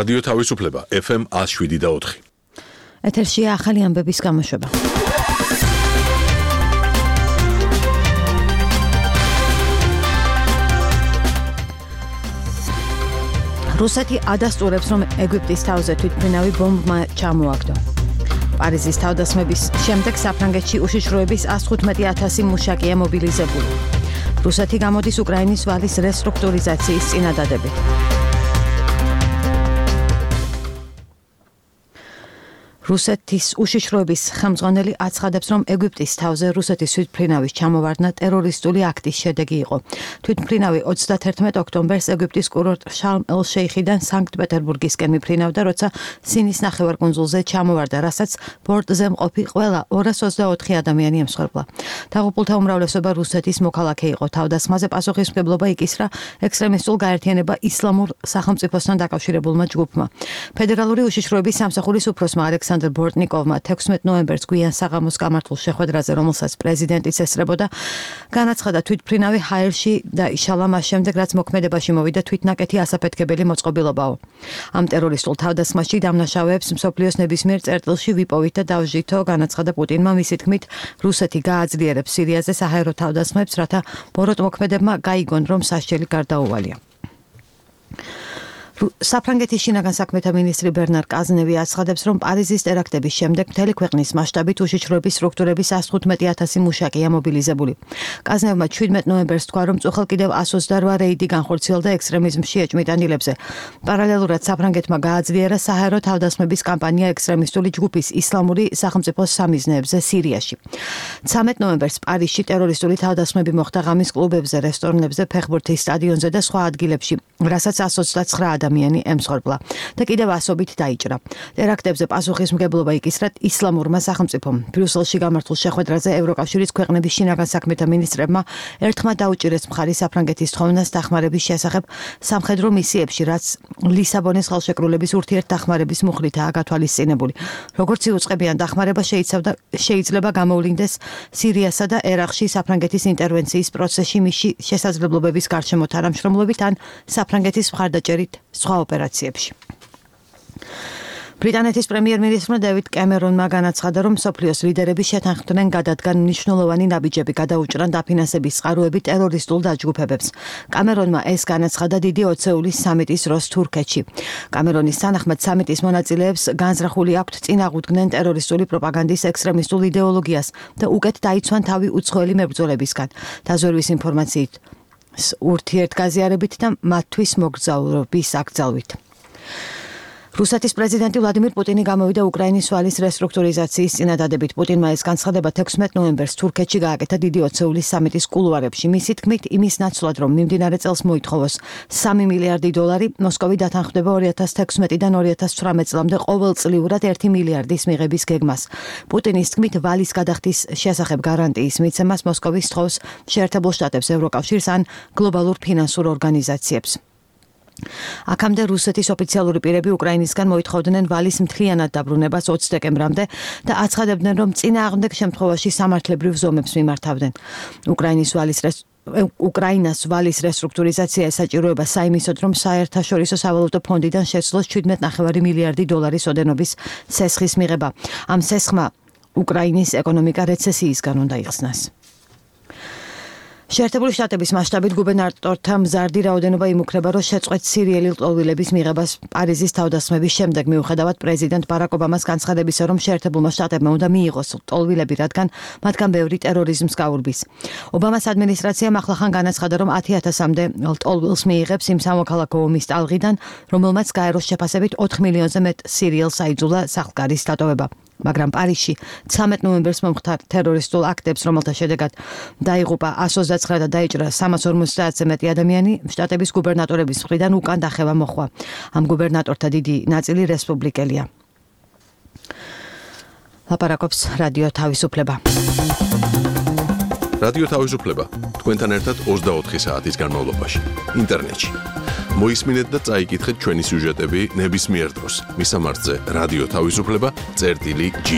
რადიო თავისუფლება FM 107.4. ეთერშია ახალი ამბების გამოშვება. რუსეთი ადასტურებს, რომ ეგვიპტის თავზე თვითმფრინავი ბომბმა ჩამოაგდო. პარიზის თავდასხმების შემდეგ საფრანგეთში უშიშროების 115,000 მუშაკია მობილიზებული. რუსეთი გამოდის უკრაინის ვალის რესტრუქტურიზაციის წინადადებით. რუსეთის უშიშროების ხელმძღვანელი აცხადებს, რომ ეგვიპტის თავზე რუსეთის თვითმფრინავის ჩამოვარდნა ტერორისტული აქტის შედეგი იყო. თვითმფრინავი 31 ოქტომბერს ეგვიპტის კურორტ შარმ-ელ-შეიხიდან სანქტ-პეტერბურგისკენ მიფრინავდა, როცა სინის ნახევარკუნძულზე ჩამოვარდა, რასაც ბორტზე მყოფი ყველა 224 ადამიანი ემსხვერპლა. დაღუპულთა უმრავლესობა რუსეთის მოქალაქე იყო. თავდასხმაზე პასუხისმგებლობა იკისრა ექსტრემისტულ გაერთიანება ისლამურ სახელმწიფოსთან დაკავშირებულმა ჯგუფმა. ფედერალური უშიშროების სამსახურის უფროსმა ალექსანდრ ბორტნიკოვმა 16 ნოემბერს გვიან საღამოს გამართულ შეხვედრაზე, რომელსაც პრეზიდენტიც ესწრებოდა, განაცხადა თვითმფრინავი ჰაერში დაიშალა მას შემდეგ, რაც მოქმედებაში მოვიდა თვითნაკეთი ასაფეთქებელი მოწყობილობაო. ამ ტერორისტულ თავდასხმაში დამნაშავეებს მსოფლიოს ნებისმიერ წერტილში ვიპოვით და დავჟითო, განაცხადა პუტინმა. მისი თქმით, რუსეთი გააძლიერებს სირიაზე საჰაერო თავდასხმებს, რათა ბოროტ მოქმედებმა გაიგონ, რომ სასჯელი გარდაუვალია. საფრანგეთის შინაგან საქმეთა მინისტრი ბერნარ კაზნევი აცხადებს, რომ პარიზის ტერაქტების შემდეგ მთელი ქვეყნის მასშტაბით უშიშროების სტრუქტურების 115,000 მუშაკია მობილიზებული. კაზნევმა 17 ნოემბერს თქვა, რომ წუხელ კიდევ 128 რეიდი განხორციელდა ექსტრემიზმში ეჭვმიტანილებზე. პარალელურად საფრანგეთმა გააძლიერა საჰაერო თავდასხმების კამპანია ექსტრემისტული ჯგუფის ისლამური სახელმწიფოს სამიზნეებზე სირიაში. 13 ნოემბერს პარიზში ტერორისტული თავდასხმები მოხდა ღამის კლუბებზე, რესტორნებზე, ფეხბურთის სტადიონზე და სხვა ადგილებში, რასაც 129 ადამიანი ემსხვერპლა და კიდევ ასობით დაიჭრა. ტერაქტებზე პასუხისმგებლობა იკისრა ისლამურმა სახელმწიფომ. ბრიუსელში გამართულ შეხვედრაზე ევროკავშირის ქვეყნების შინაგან საქმეთა მინისტრებმა ერთხმად დაუჭირეს მხარი საფრანგეთის თხოვნას დახმარების შესახებ სამხედრო მისიებში, რაც ლისაბონის ხელშეკრულების ურთიერთდახმარების მუხლითაა გათვალისწინებული. როგორც იუწყებიან, დახმარება შეიძლება გამოვლინდეს სირიასა და ერაყში საფრანგეთის ინტერვენციის პროცესში მისი შესაძლებლობების გარშემო თანამშრომლობით ან საფრანგეთის მხარდაჭერით სხვა ოპერაციებში. ბრიტანეთის პრემიერ-მინისტრმა დევიდ კემერონმა განაცხადა, რომ მსოფლიოს ლიდერები შეთანხმდნენ გადადგან მნიშვნელოვანი ნაბიჯები გადაუჭრან დაფინანსების წყაროები ტერორისტულ დაჯგუფებებს. კამერონმა ეს განაცხადა დიდი ოცეულის სამიტის დროს თურქეთში. კამერონის თანახმად სამიტის მონაწილეებს განზრახული აქვთ წინააღმდნენ ტერორისტული პროპაგანდის ექსტრემისტულ იდეოლოგიას და უკეთ დაიცვან თავი უცხოელი მებრძოლებისგან. დაზვერვის ინფორმაციით ურთიერთგაზიარებით და მათთვის მოგზაურობის აკრძალვით. რუსეთის პრეზიდენტი ვლადიმირ პუტინი გამოვიდა უკრაინის ვალის რესტრუქტურიზაციის წინადადებით. პუტინმა ეს განცხადება 16 ნოემბერს თურქეთში გააკეთა დიდი ოცეულის სამიტის კულუარებში. მისი თქმით, იმის ნაცვლად, რომ მიმდინარე წელს მოითხოვოს $3 მილიარდი, მოსკოვი დათანხმდება 2016-დან 2018 წლამდე ყოველწლიურად 1 მილიარდის მიღების გეგმას. პუტინის თქმით, ვალის გადახდის შესახებ გარანტიის მიცემას მოსკოვი სთხოვს შეერთებულ შტატებს, ევროკავშირს ან გლობალურ ფინანსურ ორგანიზაციებს. აქამდე რუსეთის ოფიციალური პირები უკრაინისგან მოითხოვდნენ ვალის მთლიანად დაბრუნებას 20 დეკემბრამდე და აცხადებდნენ, რომ წინააღმდეგ შემთხვევაში სამართლებრივ ზომებს მიმართავდნენ. უკრაინას ვალის რესტრუქტურიზაცია ესაჭიროება საიმისოდ, რომ საერთაშორისო სავალუტო ფონდიდან შეცვლოს $7.5 მილიარდი ოდენობის სესხის მიღება. ამ სესხმა უკრაინის ეკონომიკა რეცესიისგან უნდა იხსნას. შეერთებული შტატების მასშტაბით გუბერნატორთა მზარდი რაოდენობა იმუქრება, რომ შეწყვეტს სირიელი ლტოლვილების მიღებას პარიზის თავდასხმების შემდეგ, მიუხედავად პრეზიდენტ ბარაკ ობამას განცხადებისა, რომ შეერთებულმა შტატებმა უნდა მიიღოს ლტოლვილები, რადგან მათგან ბევრი ტერორიზმს გაურბის. ობამას ადმინისტრაციამ ახლახან განაცხადა, რომ 10,000-მდე ლტოლვილს მიიღებს იმ სამოქალაქო ომის ტალღიდან, რომელმაც გაეროს შეფასებით 4 მილიონზე მეტ სირიელს აიძულა სახლგარის დატოვება. მაგრამ პარიზში 13 ნოემბერს მომხდარ ტერორისტულ აქტებს, რომელთა შედეგად დაიღუპა 129 და დაიჭრა 350-ზე მეტი ადამიანი, შტატების გუბერნატორების მხრიდან უკან დახევა მოხდა. ამ გუბერნატორთა დიდი ნაწილი რესპუბლიკელია. ლაპარაკობს რადიო თავისუფლება. რადიო თავისუფლება თქვენთან ერთად 24 საათის განმავლობაში ინტერნეტში. მოისმინეთ და წაიკითხეთ ჩვენი სიუჟეტები ნებისმიერ დროს. მისამართზე რადიო თავისუფლება წერტილი G.